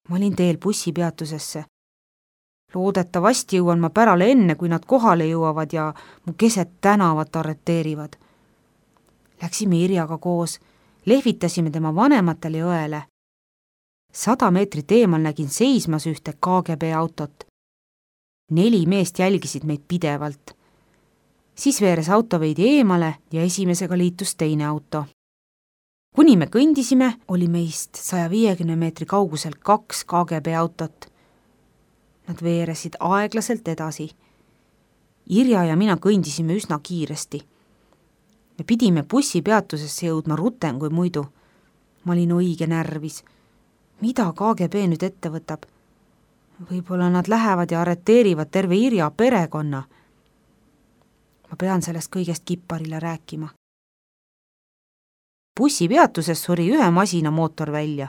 Ma olin teel bussipeatusesse. Loodetavasti jõuan ma pärale enne, kui nad kohale jõuavad ja mu keset tänavat arreteerivad. Läksime Irjaga koos, lehvitasime tema vanematele ja õele. 100 meetrit eemal nägin seismas ühte KGB autot. 4 meest jälgisid meid pidevalt. Siis veeres auto veidi eemale ja esimesega liitus teine auto. Kuni me kõndisime, oli meist 150 meetri kaugusel 2 KGB autot. Nad veeresid aeglaselt edasi. Irja ja mina kõndisime üsna kiiresti. Me pidime bussipeatusesse jõudma rutem kui muidu. Ma olin õige närvis. Mida KGB nüüd ette võtab? Võib-olla nad lähevad ja arreteerivad terve Irja perekonna. Ma pean sellest kõigest kipparile rääkima. Bussipeatuses suri ühe masina mootor välja.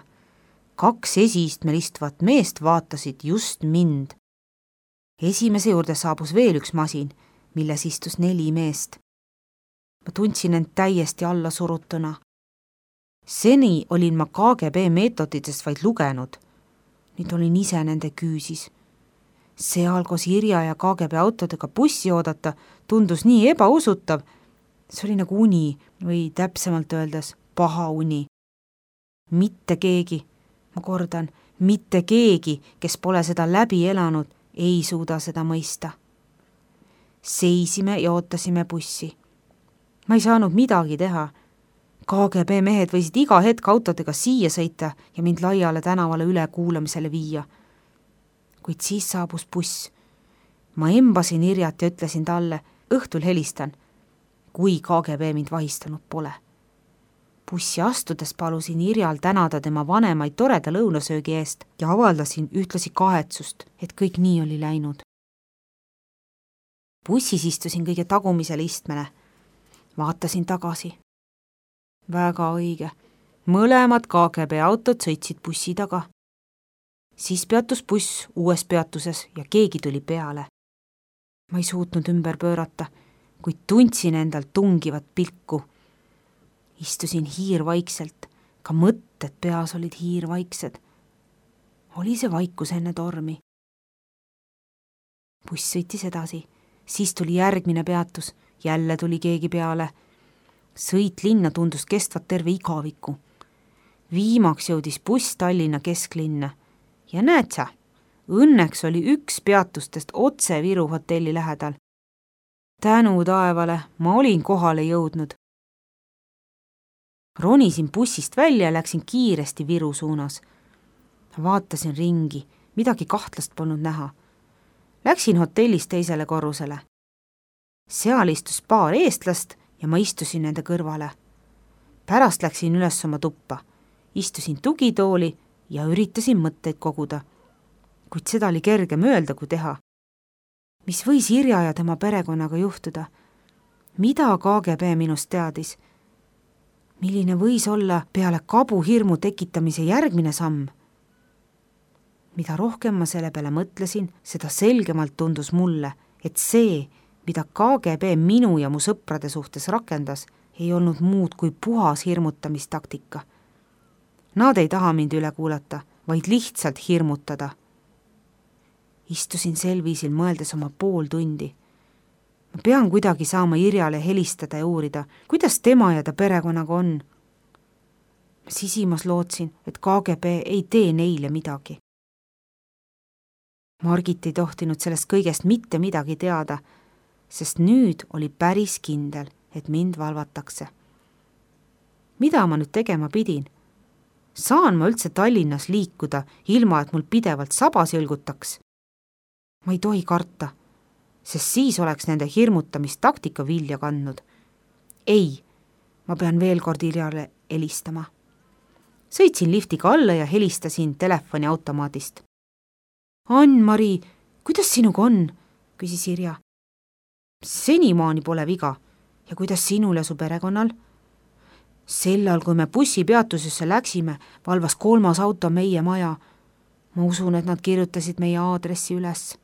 2 esiistmel istuvat meest vaatasid just mind. Esimese juurde saabus veel üks masin, milles istus 4 meest. Ma tundsin end täiesti alla surutuna. Seni olin ma KGB meetoditest vaid lugenud. Nüüd olin ise nende küüsis. Seal koos Irja ja KGB autodega bussi oodata tundus nii ebausutav. See oli nagu uni või täpsemalt öeldes paha uni. Mitte keegi, ma kordan, mitte keegi, kes pole seda läbi elanud, ei suuda seda mõista. Seisime ja ootasime bussi. Ma ei saanud midagi teha. KGB mehed võisid iga hetk autodega siia sõita ja mind laiale tänavale üle kuulamisele viia. Kuid siis saabus buss. Ma embasin Irjat ja ütlesin talle, õhtul helistan, kui KGB mind vahistanud pole. Bussi astudes palusin Irjal tänada tema vanemaid toreda lõunasöögi eest ja avaldasin ühtlasi kahetsust, et kõik nii oli läinud. Bussis istusin kõige tagumisele istmele. Vaatasin tagasi. Väga õige. Mõlemad KGB autod sõitsid bussi taga. Siis peatus buss uues peatuses ja keegi tuli peale. Ma ei suutnud ümber pöörata, kuid tundsin endal tungivat pilku. Istusin hiirvaikselt, ka mõtted peas olid hiirvaiksed. Oli see vaikus enne tormi. Buss sõitis edasi, siis tuli järgmine peatus, jälle tuli keegi peale. Sõit linna tundus kestvat terve igaviku. Viimaks jõudis buss Tallinna kesklinna. Ja näed sa, õnneks oli üks peatustest otse Viru hotelli lähedal. Tänu taevale, ma olin kohale jõudnud. Ronisin bussist välja ja läksin kiiresti Viru suunas. Vaatasin ringi, midagi kahtlast polnud näha. Läksin hotellist teisele korrusele. Seal istus paar eestlast ja ma istusin nende kõrvale. Pärast läksin üles oma tuppa. Istusin tugitooli ja üritasin mõtteid koguda. Kuid seda oli kergem öelda kui teha. Mis võis Irja ja tema perekonnaga juhtuda? Mida KGB minust teadis? Milline võis olla peale kabuhirmu tekitamise järgmine samm? Mida rohkem ma selle peale mõtlesin, seda selgemalt tundus mulle, et see, mida KGB minu ja mu sõprade suhtes rakendas, ei olnud muud kui puhas hirmutamistaktika. Nad ei taha mind üle kuulata, vaid lihtsalt hirmutada. Istusin sel viisil mõeldes oma pool tundi. Ma pean kuidagi saama Irjale helistada ja uurida, kuidas tema ja ta perekonnaga on. Ma sisimas lootsin, et KGB ei tee neile midagi. Margit ei tohtinud sellest kõigest mitte midagi teada, sest nüüd oli päris kindel, et mind valvatakse. Mida ma nüüd tegema pidin? Saan ma üldse Tallinnas liikuda, ilma et mul pidevalt sabas jõlgutaks? Ma ei tohi karta, sest siis oleks nende hirmutamistaktika vilja kandnud. Ei, ma pean veel kord Irjale helistama. Sõitsin liftiga alla ja helistasin telefoniautomaadist. Ann-Mari, kuidas sinuga on? Küsis Irja. Senimaani pole viga. Ja kuidas sinul ja su perekonnal? Sellal, kui me bussipeatusesse läksime, valvas 3. auto meie maja. Ma usun, et nad kirjutasid meie aadressi üles.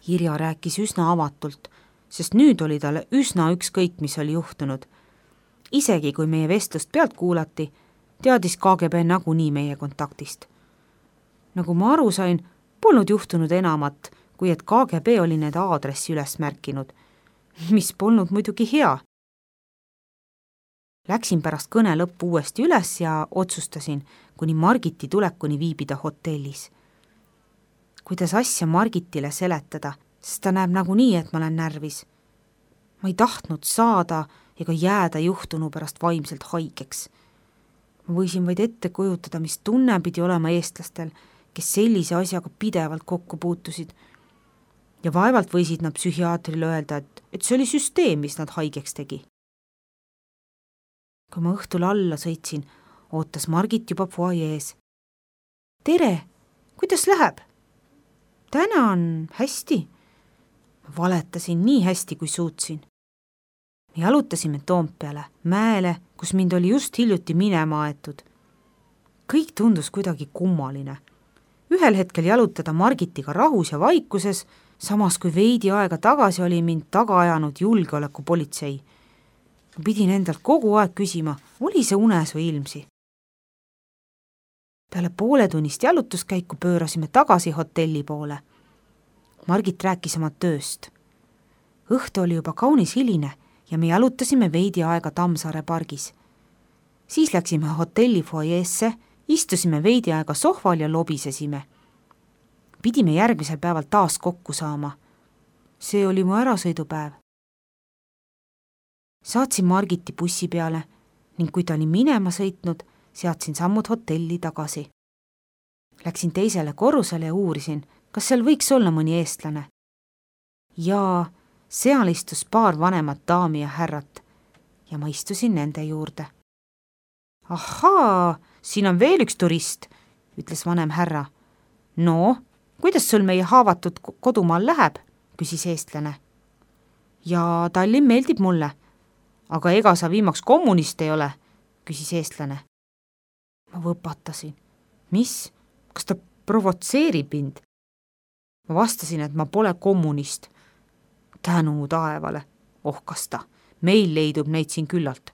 Irja rääkis üsna avatult, sest nüüd oli talle üsna ükskõik, mis oli juhtunud. Isegi kui meie vestlust pealt kuulati, teadis KGB nagunii meie kontaktist. Nagu ma aru sain, polnud juhtunud enamat, kui et KGB oli need aadressi üles märkinud, mis polnud muidugi hea. Läksin pärast kõne lõppu uuesti üles ja otsustasin, kuni Margiti tulekuni viibida hotellis. Kuidas asja Margitile seletada, sest ta näeb nagunii, et ma olen närvis. Ma ei tahtnud saada ega jääda juhtunu pärast vaimselt haigeks. Ma võisin vaid ette kujutada, mis tunne pidi olema eestlastel, kes sellise asjaga pidevalt kokku puutusid. Ja vaevalt võisid nad psühhiaatrile öelda, et see oli süsteem, mis nad haigeks tegi. Kui ma õhtul alla sõitsin, ootas Margit juba foajees. Tere, kuidas läheb? Tänan, hästi. Ma valetasin nii hästi, kui suutsin. Me jalutasime Toompeale, mäele, kus mind oli just hiljuti minema aetud. Kõik tundus kuidagi kummaline. Ühel hetkel jalutada Margitiga rahus ja vaikuses, samas kui veidi aega tagasi oli mind taga ajanud julgeolekupolitsei. Ma pidin endalt kogu aeg küsima, oli see unes või ilmsi. Peale pooletunnist jalutuskäiku pöörasime tagasi hotelli poole. Margit rääkis oma tööst. Õhtu oli juba kaunis hiline ja me jalutasime veidi aega Tammsaare pargis. Siis läksime hotelli foajeesse, istusime veidi aega sohval ja lobisesime. Pidime järgmisel päeval taas kokku saama. See oli mu ärasõidupäev. Saatsin Margiti bussi peale ning kui ta oli minema sõitnud, seadsin sammud hotelli tagasi. Läksin teisele korrusele ja uurisin, kas seal võiks olla mõni eestlane. Ja seal istus paar vanemat daami ja härrat ja ma istusin nende juurde. Ahaa, siin on veel üks turist, ütles vanem härra. No, kuidas sul meie haavatud kodumaal läheb, küsis eestlane. Ja Tallinn meeldib mulle, aga ega sa viimaks kommunist ei ole, küsis eestlane. Ma võpatasin. Mis? Kas ta provotseerib mind? Ma vastasin, et ma pole kommunist. Tänu taevale, ohkas ta. Meil leidub neid siin küllalt.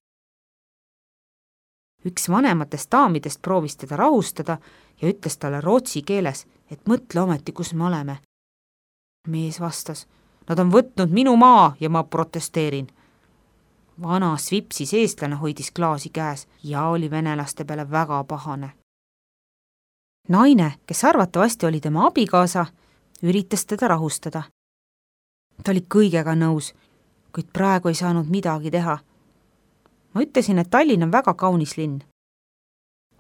Üks vanematest daamidest proovis teda rahustada ja ütles talle rootsi keeles, et mõtle ometi, kus me oleme. Mees vastas, nad on võtnud minu maa ja ma protesteerin. Vana svipsis eestlane hoidis klaasi käes ja oli venelaste peale väga pahane. Naine, kes arvatavasti oli tema abikaasa, üritas teda rahustada. Ta oli kõigega nõus, kuid praegu ei saanud midagi teha. Ma ütlesin, et Tallinn on väga kaunis linn.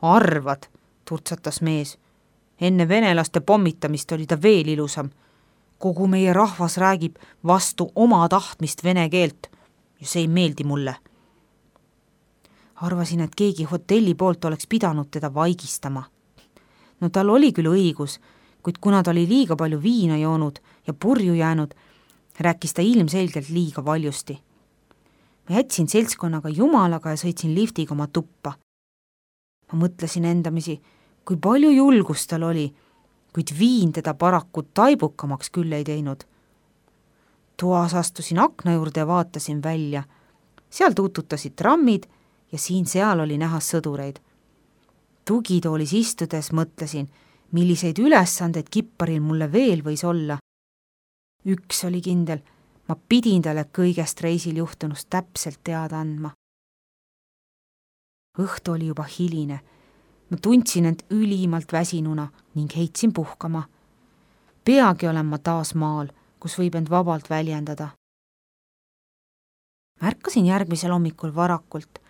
Arvad, turtsatas mees. Enne venelaste pommitamist oli ta veel ilusam. Kogu meie rahvas räägib vastu oma tahtmist vene keelt ja see ei meeldi mulle. Arvasin, et keegi hotelli poolt oleks pidanud teda vaigistama. No tal oli küll õigus, kuid kuna ta oli liiga palju viina joonud ja purju jäänud, rääkis ta ilmselgelt liiga valjusti. Ma jätsin seltskonnaga jumalaga ja sõitsin liftiga oma tuppa. Ma mõtlesin endamisi, kui palju julgust tal oli, kuid viin teda paraku taibukamaks küll ei teinud. Toas astusin akna juurde ja vaatasin välja. Seal tuututasid trammid ja siin-seal oli näha sõdureid. Tugitoolis istudes mõtlesin, milliseid ülesandeid kipparil mulle veel võis olla. Üks oli kindel, ma pidin talle kõigest reisil juhtunust täpselt teada andma. Õhtu oli juba hiline. Ma tundsin end ülimalt väsinuna ning heitsin puhkama. Peagi olen ma taas maal, kus võib end vabalt väljendada. Märkasin järgmisel hommikul varakult.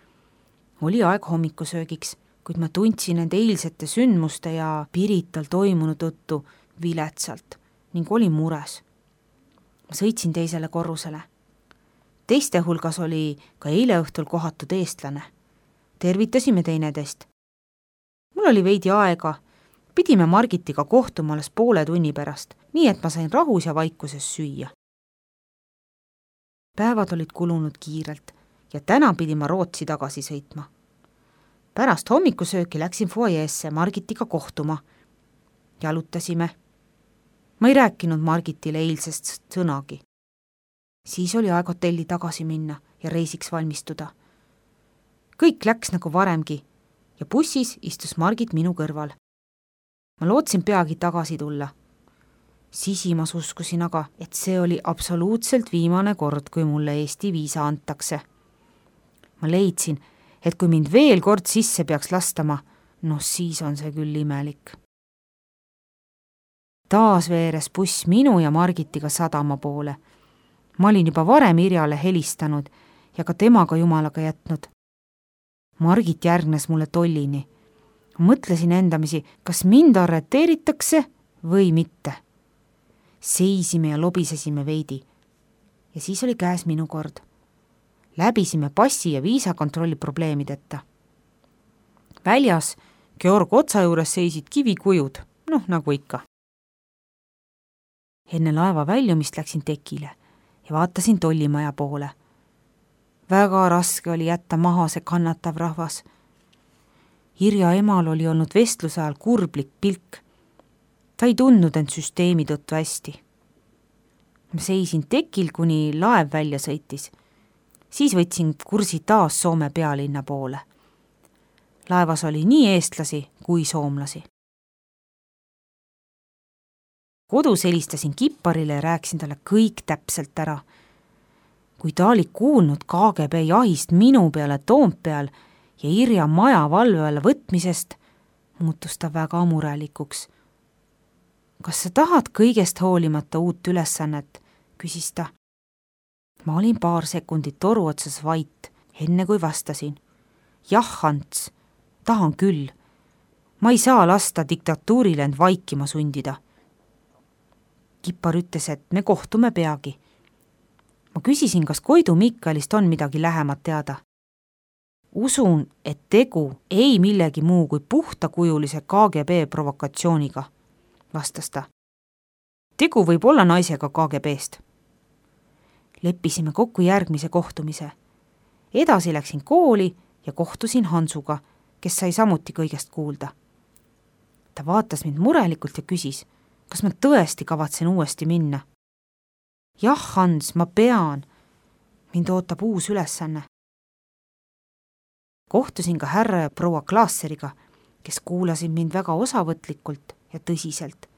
Oli aeg hommikusöögiks, kuid ma tundsin end eilsete sündmuste ja Pirital toimunu tõttu viletsalt ning olin mures. Ma sõitsin teisele korrusele. Teiste hulgas oli ka eile õhtul kohatud eestlane. Tervitasime teineteist. Mul oli veidi aega. Pidime Margitiga kohtuma alles poole tunni pärast, nii et ma sain rahus ja vaikuses süüa. Päevad olid kulunud kiirelt ja täna pidin ma Rootsi tagasi sõitma. Pärast hommikusööki läksin foajeesse Margitiga kohtuma. Jalutasime. Ma ei rääkinud Margitile eilsest sõnagi. Siis oli aeg hotelli tagasi minna ja reisiks valmistuda. Kõik läks nagu varemgi ja bussis istus Margit minu kõrval. ma lootsin peagi tagasi tulla. Sisimas uskusin aga, et see oli absoluutselt viimane kord, kui mulle Eesti viisa antakse. Ma leidsin, et kui mind veel kord sisse peaks lastama, siis on see küll imelik. Taas veeres buss minu ja Margitiga sadama poole. Ma olin juba varem Irjale helistanud ja ka temaga jumalaga jätnud. Margit järgnes mulle tollini. Mõtlesin endamisi, kas mind arreteeritakse või mitte. Seisime ja lobisesime veidi. Ja siis oli käes minu kord. Läbisime passi ja viisakontrolli probleemideta. Väljas Georg otsa juures seisid kivikujud, nagu ikka. Enne laeva väljumist läksin tekile ja vaatasin tollimaja poole. Väga raske oli jätta maha see kannatav rahvas. Irja emal oli olnud vestluse ajal kurblik pilk. Ta ei tundnud end süsteemi tõttu hästi. Ma seisin tekil, kuni laev välja sõitis. Siis võtsin kursi taas Soome pealinna poole. Laevas oli nii eestlasi kui soomlasi. Kodus helistasin Kipparile ja rääkisin talle kõik täpselt ära. Kui ta oli kuulnud KGB jahist minu peale Toompeal ja Irja maja valve alla võtmisest, muutus ta väga murelikuks. Kas sa tahad kõigest hoolimata uut ülesannet, küsis ta. Ma olin paar sekundit toru otsas vait, enne kui vastasin. Jah, Ants, tahan küll. Ma ei saa lasta diktatuurile end vaikima sundida. Kippar ütles, et me kohtume peagi. Ma küsisin, kas Koidu Mikkalist on midagi lähemat teada. Usun, et tegu ei millegi muu kui puhtakujulise KGB provokatsiooniga, vastas ta. Tegu võib olla naisega KGB-st. Leppisime kokku järgmise kohtumise. Edasi läksin kooli ja kohtusin Hansuga, kes sai samuti kõigest kuulda. Ta vaatas mind murelikult ja küsis, kas ma tõesti kavatsen uuesti minna. Jah, Hans, ma pean. Mind ootab uus ülesanne. Kohtusin ka härra ja proua Klaasseriga, kes kuulasid mind väga osavõtlikult ja tõsiselt.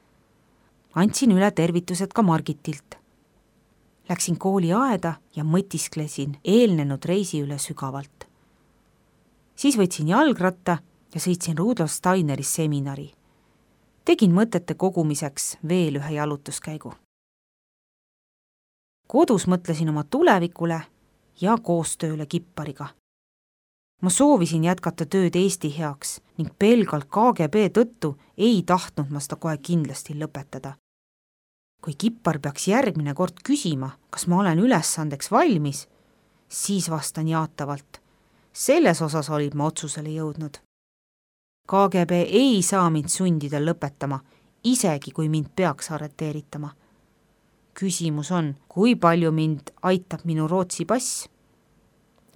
Andsin üle tervitused ka Margitilt. Läksin kooli aeda ja mõtisklesin eelnenud reisi üle sügavalt. Siis võtsin jalgratta ja sõitsin Rudolf Steineris seminari. Tegin mõtete kogumiseks veel ühe jalutuskäigu. Kodus mõtlesin oma tulevikule ja koostööle Kippariga. Ma soovisin jätkata tööd Eesti heaks ning pelgalt KGB tõttu ei tahtnud ma seda kohe kindlasti lõpetada. Kui Kippar peaks järgmine kord küsima, kas ma olen ülesandeks valmis, siis vastan jaatavalt. Selles osas olid ma otsusele jõudnud. KGB ei saa mind sundida lõpetama, isegi kui mind peaks arreteeritama. Küsimus on, kui palju mind aitab minu Rootsi pass?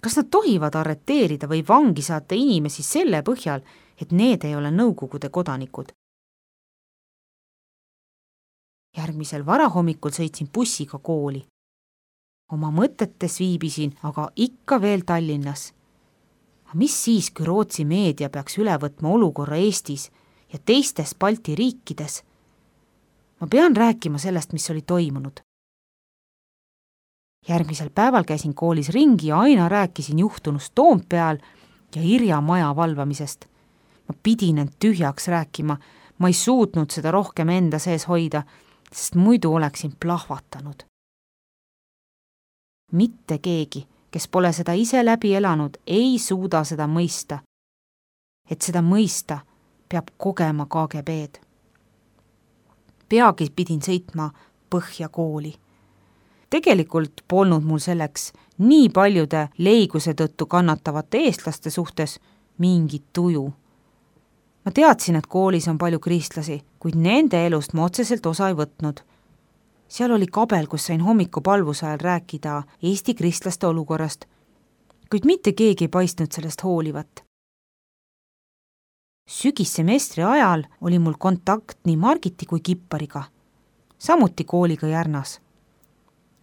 Kas nad tohivad arreteerida või vangi saata inimesi selle põhjal, et need ei ole Nõukogude kodanikud? Järgmisel varahommikul sõitsin bussiga kooli. Oma mõtetes viibisin aga ikka veel Tallinnas. Mis siis, kui Rootsi meedia peaks üle võtma olukorra Eestis ja teistes Balti riikides? Ma pean rääkima sellest, mis oli toimunud. Järgmisel päeval käisin koolis ringi ja aina rääkisin juhtunust Toompeal ja Irja maja valvamisest. Ma pidin end tühjaks rääkima, ma ei suutnud seda rohkem enda sees hoida, sest muidu oleksin plahvatanud. Mitte keegi, kes pole seda ise läbi elanud, ei suuda seda mõista. Et seda mõista, peab kogema KGB-d. Peagi pidin sõitma Põhja kooli. Tegelikult polnud mul selleks nii paljude leiguse tõttu kannatavate eestlaste suhtes mingit tuju. Ma teadsin, et koolis on palju kristlasi, kuid nende elust ma otseselt osa ei võtnud. Seal oli kabel, kus sain hommikupalvuse ajal rääkida Eesti kristlaste olukorrast, kuid mitte keegi ei paistnud sellest hoolivat. Sügissemestri ajal oli mul kontakt nii Margiti kui Kippariga, samuti kooliga Järnas.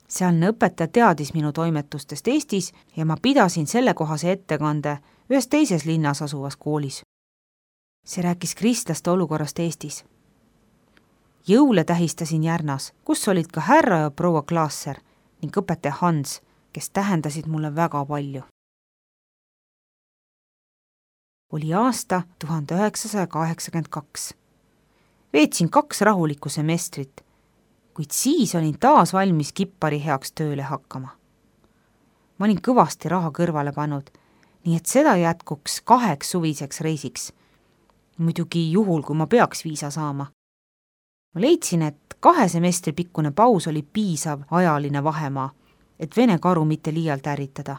Sealne õpetaja teadis minu toimetustest Eestis ja ma pidasin sellekohase ettekande ühes teises linnas asuvas koolis. See rääkis kristlaste olukorrast Eestis. Jõule tähistasin Järnas, kus olid ka härra ja proua Klaasser ning õpetaja Hans, kes tähendasid mulle väga palju. Oli aasta 1982. Veetsin 2 rahulikku semestrit, kuid siis olin taas valmis Kippari heaks tööle hakkama. Ma olin kõvasti raha kõrvale pannud, nii et seda jätkuks 2 suviseks reisiks. Muidugi juhul, kui ma peaks viisa saama. Ma leidsin, et 2 semestri pikkune paus oli piisav ajaline vahemaa, et Vene karu mitte liialt ärritada.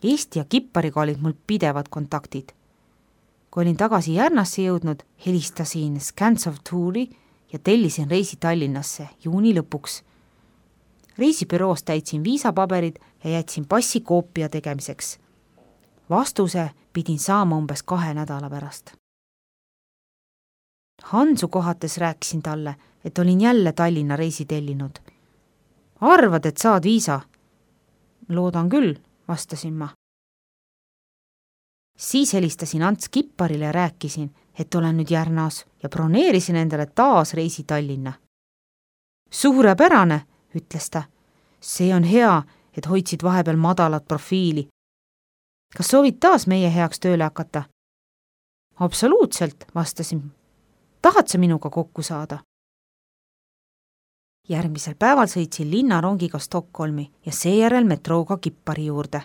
Eesti ja Kippariga olid mul pidevad kontaktid. Kui olin tagasi Järnasse jõudnud, helistasin Scans of Touri ja tellisin reisi Tallinnasse juuni lõpuks. Reisibüroos täitsin viisapaberid ja jätsin passi koopia tegemiseks. Vastuse pidin saama umbes 2 nädala pärast. Hansu kohates rääkisin talle, et olin jälle Tallinna reisi tellinud. Arvad, et saad viisa? Loodan küll, vastasin ma. Siis helistasin Ants Kipparile ja rääkisin, et olen nüüd Järnas ja broneerisin endale taas reisi Tallinna. Suurepärane, ütles ta. See on hea, et hoidsid vahepeal madalat profiili. Kas soovid taas meie heaks tööle hakata? Absoluutselt, vastasin. Tahad sa minuga kokku saada? Järgmisel päeval sõitsin linnarongiga Stockholmi ja seejärel metrooga Kippari juurde.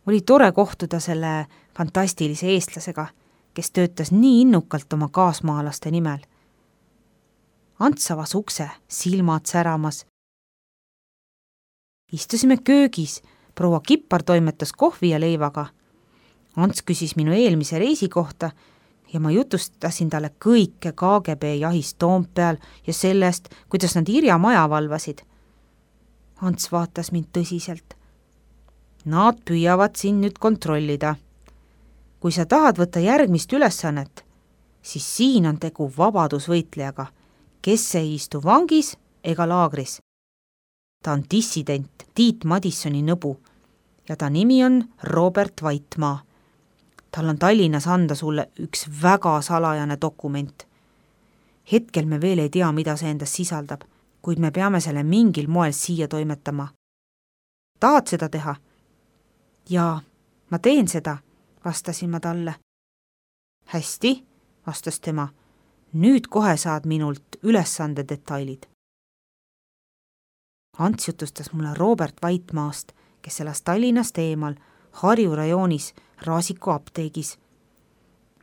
Oli tore kohtuda selle fantastilise eestlasega, kes töötas nii innukalt oma kaasmaalaste nimel. Ants avas ukse, silmad säramas. Istusime köögis, proua Kippar toimetas kohvi ja leivaga. Ants küsis minu eelmise reisi kohta ja ma jutustasin talle kõike KGB jahist Toompeal ja sellest, kuidas nad Irja maja valvasid. Ants vaatas mind tõsiselt. Nad püüavad siin nüüd kontrollida. Kui sa tahad võtta järgmist ülesannet, siis siin on tegu vabadusvõitlejaga, kes ei istu vangis ega laagris. Ta on dissident Tiit Madissoni nõbu ja ta nimi on Robert Vaitmaa. Tal on Tallinnas anda sulle üks väga salajane dokument. Hetkel me veel ei tea, mida see endas sisaldab, kuid me peame selle mingil moel siia toimetama. Tahad seda teha? Jaa, ma teen seda, vastasin ma talle. Hästi, vastas tema. Nüüd kohe saad minult ülesande detailid. Ants jutustas mulle Robert Vaitmaast, kes elas Tallinnast eemal, Harju rajoonis, Raasiku apteegis.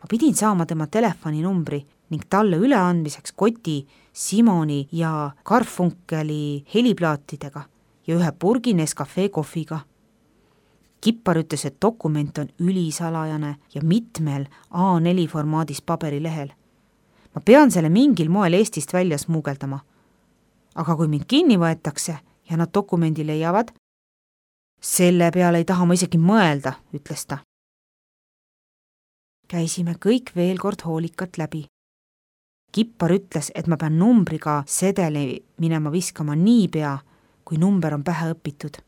Ma pidin saama tema telefoninumbri ning talle üleandmiseks koti Simoni ja Garfunkeli heliplaatidega ja 1 purgi Nescafé kohviga. Kippar ütles, et dokument on ülisalajane ja mitmel A4 formaadis paberilehel. Ma pean selle mingil moel Eestist välja smuugeldama. Aga kui mind kinni võetakse ja nad dokumendi leiavad, selle peale ei taha ma isegi mõelda, ütles ta. Käisime kõik veel kord hoolikalt läbi. Kippar ütles, et ma pean numbriga sedeli minema viskama niipea, kui number on pähe õpitud.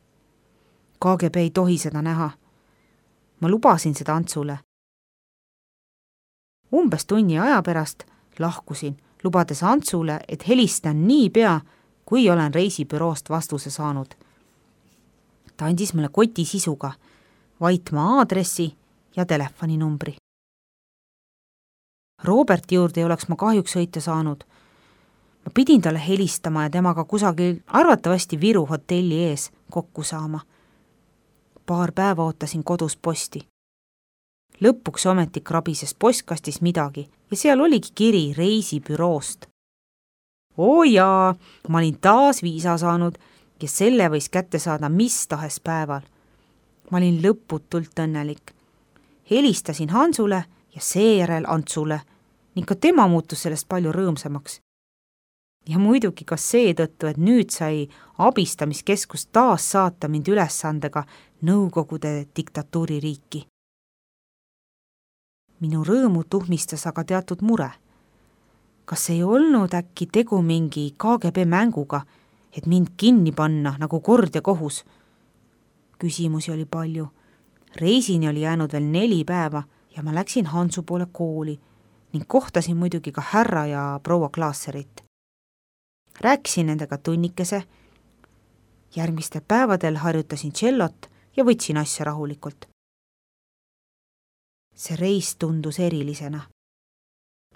KGB ei tohi seda näha. Ma lubasin seda Antsule. Umbes tunni aja pärast lahkusin, lubades Antsule, et helistan niipea, kui olen reisibüroost vastuse saanud. Ta andis mulle koti sisuga, Vaitmaa aadressi ja telefoninumbri. Roberti juurde ei oleks ma kahjuks sõita saanud. Ma pidin talle helistama ja temaga kusagil arvatavasti Viru hotelli ees kokku saama. Paar päeva ootasin kodus posti. Lõpuks ometi krabises postkastis midagi ja seal oligi kiri reisibüroost. Oo jaa, ma olin taas viisa saanud ja selle võis kätte saada mis tahes päeval. Ma olin lõputult õnnelik. Helistasin Hansule ja seejärel Antsule ning ka tema muutus sellest palju rõõmsamaks. Ja muidugi ka seetõttu, et nüüd sai abistamiskeskus taas saata mind ülesandega Nõukogude diktatuuririiki. Minu rõõmu tuhmistas aga teatud mure. Kas ei olnud äkki tegu mingi KGB mänguga, et mind kinni panna nagu kord ja kohus? Küsimusi oli palju. Reisini oli jäänud veel 4 päeva ja ma läksin Hansu poole kooli ning kohtasin muidugi ka härra ja proua Klaasserit. Rääkisin nendega tunnikese, järgmistel päevadel harjutasin tšellot ja võtsin asja rahulikult. See reis tundus erilisena.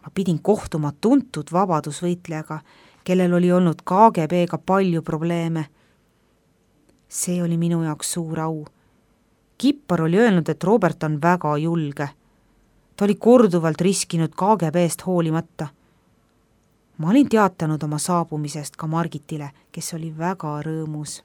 Ma pidin kohtuma tuntud vabadusvõitlejaga, kellel oli olnud KGB-ga palju probleeme. See oli minu jaoks suur au. Kippar oli öelnud, et Robert on väga julge. Ta oli korduvalt riskinud KGB-st hoolimata. Ma olin teatanud oma saabumisest ka Margitile, kes oli väga rõõmus.